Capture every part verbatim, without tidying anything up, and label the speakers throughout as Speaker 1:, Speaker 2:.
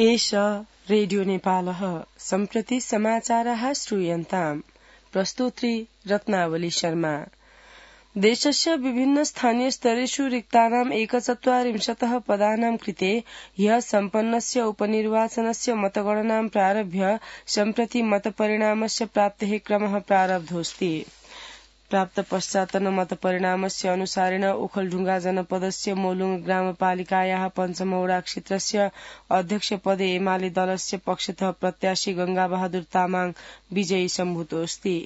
Speaker 1: एष रेडियो नेपालः सम्प्रति समाचाराः श्रूयन्ताम्। प्रस्तोत्री रत्नावली शर्मा। देशस्य विभिन्न स्थानीय स्तरेषु रिक्तानाम् एकचत्वारिंशतः पदानां कृते ह्यः सम्पन्नस्य उपनिर्वाचनस्य मतगणनां प्रारभ्य सम्प्रति मतपरिणामस्य प्राप्तेः क्रमः प्रारब्धोऽस्ति। प्राप्त पश्चातन मतपरिणामस्य अनुसारेण ओखलढुंगा जनपदस्य मोलुङ ग्रामपालिकायाः पञ्चमवडा क्षेत्रस्य अध्यक्षपदे एमाले दलस्य पक्षतः प्रत्याशी गंगाबहादुर तामाङ विजयी सम्भूतोऽस्ति।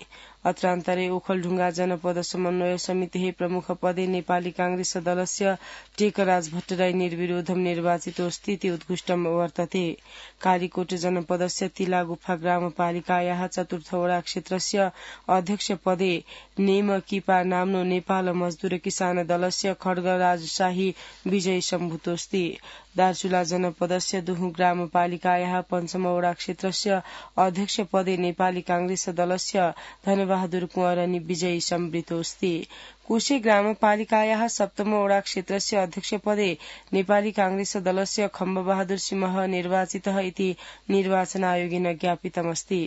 Speaker 1: अत्रान्तरे ओखलढुंगा जनपद समन्वय समितिः प्रमुख पदे नेपाली कांग्रेस दलस्य टेकराज भट्टराई निर्विरोधं निर्वाचितोऽस्ति इति उत्कृष्टं वर्तते। कालीकोट जनपदस्य तिलागुफा ग्रामपालिकायाः चतुर्थवडा क्षेत्रस्य अध्यक्ष पदे नेम किपा नाम्नो नेपाल मजदूर किसान दलस्य खड्गराज शाही विजयी सम्भूतोऽस्ति। दार्चुला जनपदस्य दुहु ग्रामपालिकायाः पञ्चमवडा क्षेत्रस्य अध्यक्ष पदे नेपाली कांग्रेस दलस्य धनबहादुर कुँवरनी विजयी सम्वृतोऽस्ति। कुशे ग्रामपालिकायाः सप्तमवडा क्षेत्रस्य अध्यक्ष पदे नेपाली कांग्रेस दलस्य खम्बबहादुर सिंह निर्वाचितः इति निर्वाचन आयोगेन ज्ञापितमस्ति।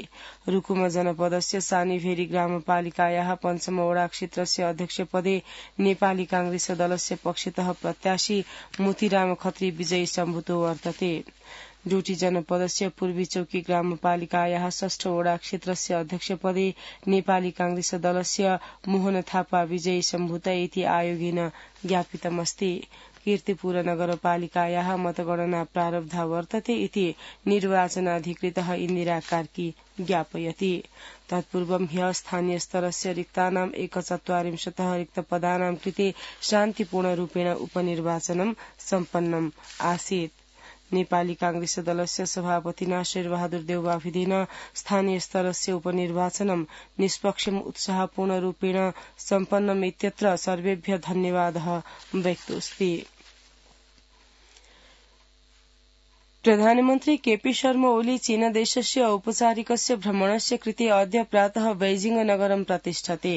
Speaker 1: रुकुम जनपदस्य सानीभेरी ग्रामपालिकायाः पञ्चमवडा क्षेत्रस्य अध्यक्ष पदे नेपाली कांग्रेस दलस्य पक्षतः प्रत्याशी मोतीराम खत्री विजयी सम्भूतो वर्तते। डोटी जनपदस्य पूर्वी चौकी ग्रामपालिकायाः षष्ठवडा क्षेत्रस्य अध्यक्ष पदे नेपाली कांग्रेस दलस्य मोहन थापा विजयी सम्भूत इति आयोगेन ज्ञापितमस्ति। कीर्तिपुर नगरपालिकायाः मतगणना प्रारब्धा वर्तते इति निर्वाचनाधिकृतः इन्दिरा कार्की ज्ञापयति। तत्पूर्वं ह्यः स्थानीय स्तरस्य रिक्तानाम् एकचत्वारिंशतः रिक्तपदानां कृते शान्तिपूर्णरूपेण उपनिर्वाचनं सम्पन्नम् आसीत्। नेपाली कांग्रेस दलस्य सभापतिना शेरबहादुर देउवाभिधेन स्थानीय स्तरस्य उपनिर्वाचनं निष्पक्षम् उत्साहपूर्णरूपेण सम्पन्नम् इत्यत्र सर्वेभ्यः धन्यवादः व्यक्तोऽस्ति। प्रधानमन्त्री केपी शर्मा ओली चीनदेशस्य औपचारिकस्य भ्रमणस्य कृते अद्य प्रातः बैजिंग नगरं प्रतिष्ठते।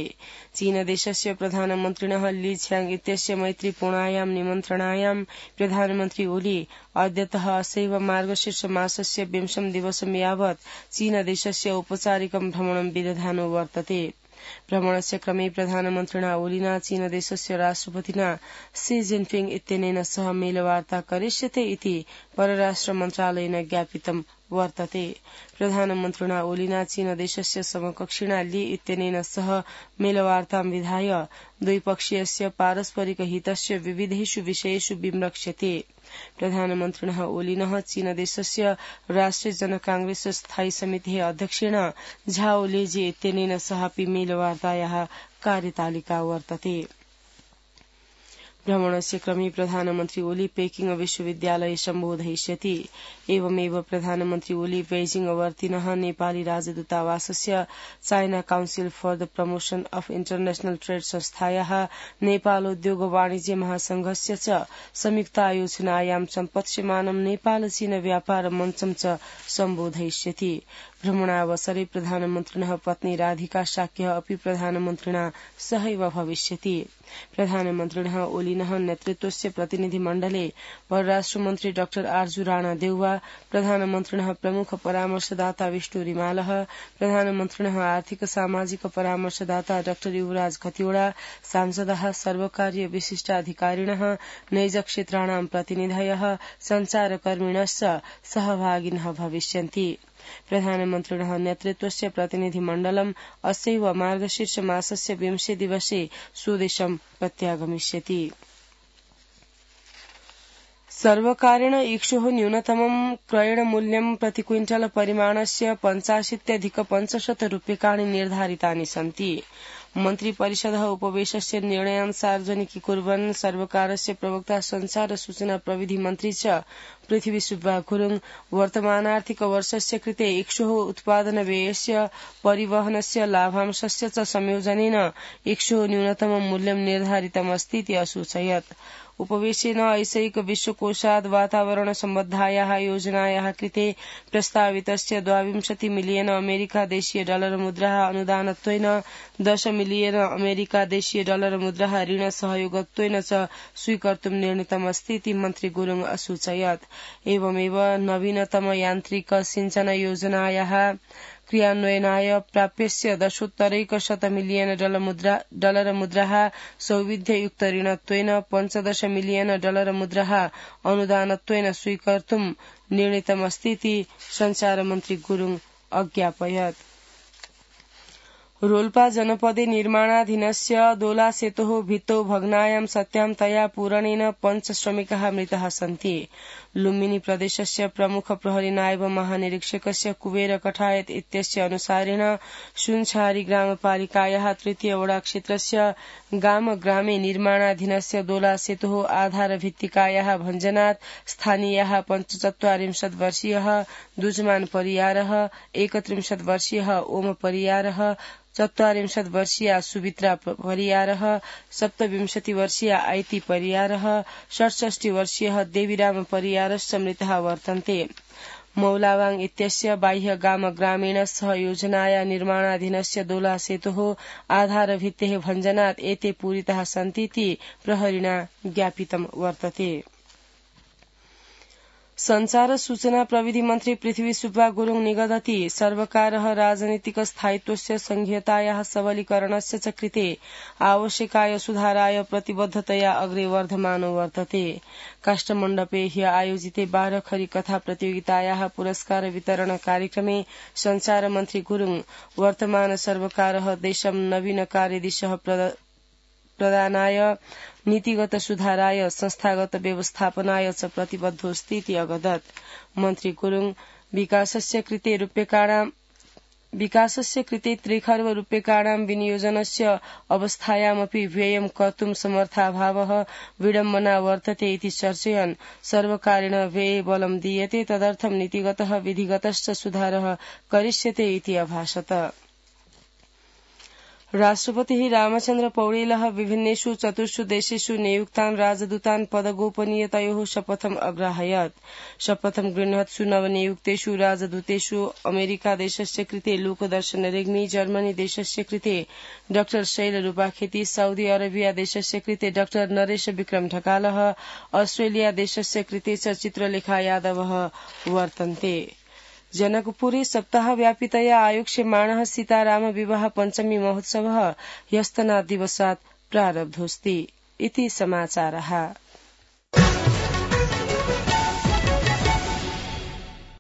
Speaker 1: चीनदेशस्य प्रधानमन्त्रिणः ली छियाङ इत्यस्य मैत्रीपूर्णायां निमन्त्रणायां प्रधानमन्त्री ओली अद्यतः असैव मार्गशीर्ष मासस्य विंशं दिवसं यावत् चीनदेशस्य औपचारिकं भ्रमणं विदधानो वर्तते। भ्रमणस्य क्रमे प्रधानमन्त्रिणा ओलिना चीनदेशस्य राष्ट्रपतिना शी जिनपिङ इत्यनेन सह मेलवार्ता करिष्यते इति परराष्ट्र मन्त्रालयेन ज्ञापितं वर्तते। प्रधानमन्त्रिणा ओलिना चीनदेशस्य समकक्षिणा ली इत्यनेन सह मेलवार्तां विधाय द्विपक्षीयस्य पारस्परिक हितस्य विविधेषु विषयेषु विमृक्ष्यते। प्रधानमन्त्रिणः ओलिनः चीनदेशस्य राष्ट्रिय जनकांग्रेस स्थायी समितेः अध्यक्षेण झाओ लेजे इत्यनेन सहापि मेलवार्तायाः कार्यतालिका वर्तते। भ्रमणस्य क्रमे प्रधानमन्त्री ओली पेकिंग विश्वविद्यालये सम्बोधयिष्यति। एवमेव प्रधानमन्त्री ओली बेजिंग वर्तिनः नेपाली राजदूतावासस्य China council for the promotion of international trade संस्थायाः नेपाल उद्योग वाणिज्य महासंघस्य च संयुक्तायोजनायां सम्पत्स्यमानं नेपाल चीन व्यापार मञ्चं च सम्बोधयिष्यति। भ्रमणावसरे प्रधानमन्त्रिणः पत्नी राधिका शाक्यः अपि प्रधानमन्त्रिणा सहैव भविष्यति। प्रधानमन्त्रिणः ओलिनः नेतृत्वस्य प्रतिनिधिमण्डले परराष्ट्रमन्त्री डाक्टर आर्जु राणा देउवा, प्रधानमन्त्रिणः प्रमुख परामर्शदाता विष्णु रिमालः, प्रधानमन्त्रिणः आर्थिक सामाजिक परामर्शदाता डाक्टर युवराज खतिवड़ा, सांसदः, सर्वकारीय विशिष्टाधिकारिणः, नैज क्षेत्राणां प्रतिनिधयः, सञ्चारकर्मिणश्च सहभागिनः भविष्यन्ति। प्रधानमन्त्रिणः नेतृत्वस्य प्रतिनिधिमण्डलम् अस्यैव मार्गशीर्ष मासस्य विंशे दिवसे स्वदेशं प्रत्यागमिष्यति। सर्वकारेण इक्षोः न्यूनतमं क्रयणमूल्यं प्रति क्विंटल परिमाणस्य पञ्चाशीत्यधिक पञ्चशत रूप्यकाणि निर्धारितानि सन्ति। मन्त्रिपरिषदः उपवेशस्य निर्णयान् सार्वजनिकीकुर्वन् सर्वकारस्य प्रवक्ता संचार सूचना प्रविधि मन्त्री च पृथ्वी सुब्बा गुरुङ वर्तमानार्थिक वर्षस्य कृते इक्षोः उत्पादन व्ययस्य परिवहनस्य लाभांशस्य च संयोजनेन इक्षोः न्यूनतम मूल्यं निर्धारितमस्ति इति असूचयत्। उपवेशेन ऐसैक विश्वकोशात् वातावरण सम्बद्धायाः योजनायाः कृते प्रस्तावितस्य द्वाविंशति मिलियन अमेरिका देशीय डलर मुद्राः अनुदानत्वेन दश मिलियन अमेरिका देशीय डलर मुद्राः ऋण सहयोगत्वेन च स्वीकर्तुं निर्णीतमस्ति इति मन्त्री गुरुङ असूचयत्। एवमेव नवीनतम यान्त्रिक सिंचन योजनायाः क्रियान्वयनाय प्राप्यस्य दशोत्तरैकशत मिलियन डलर मुद्राः सौविध्ययुक्त ऋणत्वेन पञ्चदश मिलियन डलर मुद्राः अनुदानत्वेन स्वीकर्तुं निर्णीतमस्ति इति सञ्चारमन्त्री गुरुङ अज्ञापयत्। रोल्पा जनपदे निर्माणाधीनस्य दोला सेतोः भित्तौ भग्नायां सत्यां तया पूरणेन पञ्च श्रमिकाः मृताः सन्ति। लुम्बिनी प्रदेशस्य प्रमुख प्रहरी नायब महानिरीक्षकस्य कुबेर कठायत इत्यस्य अनुसारेण सुनछारी ग्रामपालिकायाः तृतीय वडा क्षेत्रस्य गाम ग्रामे निर्माणाधीनस्य दोला सेतोः आधारभित्तिकायाः भञ्जनात् स्थानीयाः पञ्चचत्वारिंशत् वर्षीयः दुजमान परियारः एकत्रिंशत् वर्षीयः ओम परियारः चत्वारिंशत् वर्षीया सुमित्रा परियारः सप्तविंशति वर्षीया आइती परियारः षट्षष्टि वर्षीयः देवीराम परियारश्च मृताः वर्तन्ते। मौलावाङ इत्यस्य बाह्य गाम ग्रामीण सह योजनाया निर्माणाधीनस्य दोला सेतोः आधारभित्तेः भञ्जनात् एते पूरिताः सन्ति इति प्रहरिणा ज्ञापितं वर्तते। संचार सूचना प्रविधि मन्त्री पृथ्वी सुब्बा गुरुङ निगदति सर्वकारः राजनीतिक स्थायित्वस्य संघीयतायाः सबलीकरणस्य च कृते आवश्यकाय सुधाराय प्रतिबद्धतया अग्रे वर्धमानो वर्तते। काष्ठमण्डपे ह्य आयोजिते बाह्रखरी कथा प्रतियोगितायाः पुरस्कार वितरण कार्यक्रमे संचार मन्त्री गुरुङ वर्तमान सर्वकारः देशं नवीन कार्यदिशः प्रदानाय नीतिगत सुधाराय संस्थागत व्यवस्थापनाय च प्रतिबद्धोऽस्ति इति अगदत्। मन्त्री गुरुङ विकासस्य कृते रूप्यकाणां विकासस्य कृते त्रिखर्ब रूप्यकाणां विनियोजनस्य अवस्थायामपि व्ययं कर्तुं समर्थाभावः विडम्बना वर्तते इति चर्चयन् सर्वकारेण व्यये बलं दीयते तदर्थं नीतिगतः विधिगतश्च सुधारः करिष्यते इति अभाषत। राष्ट्रपतिः रामचन्द्र पौडेलः विभिन्नेषु चतुर्षु देशेषु नियुक्तान् राजदूतान् पदगोपनीयतयोः शपथम् अग्राहयत्। शपथं गृह्णत्सु नवनियुक्तेषु राजदूतेषु अमेरिका देशस्य कृते लोकदर्शन रेग्मी, जर्मनी देशस्य कृते डाक्टर शैल रूपाखेती, साउदी अरेबिया देशस्य कृते डाक्टर नरेश विक्रम ढकालः, अस्ट्रेलिया देशस्य कृते च चित्रलेखा यादवः वर्तन्ते। जनकपुरे सप्ताहव्यापितया आयोक्ष्यमाणः सीताराम विवाह पञ्चमी महोत्सवः ह्यस्तनात् दिवसात् प्रारब्धोऽस्ति इति समाचारः।